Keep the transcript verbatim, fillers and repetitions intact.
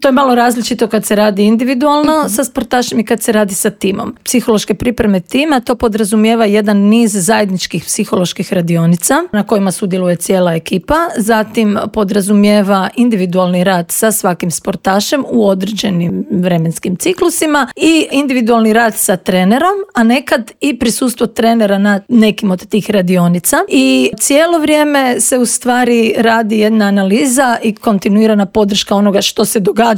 To je malo različito kad se radi individualno mm-hmm. sa sportašem i kad se radi sa timom. Psihološke pripreme tima, to podrazumijeva jedan niz zajedničkih psiholoških radionica na kojima sudjeluje cijela ekipa. Zatim podrazumijeva individualni rad sa svakim sportašem u određenim vremenskim ciklusima i individualni rad sa trenerom, a nekad i prisustvo trenera na nekim od tih radionica. I cijelo vrijeme se u stvari radi jedna analiza i kontinuirana podrška onoga što se događa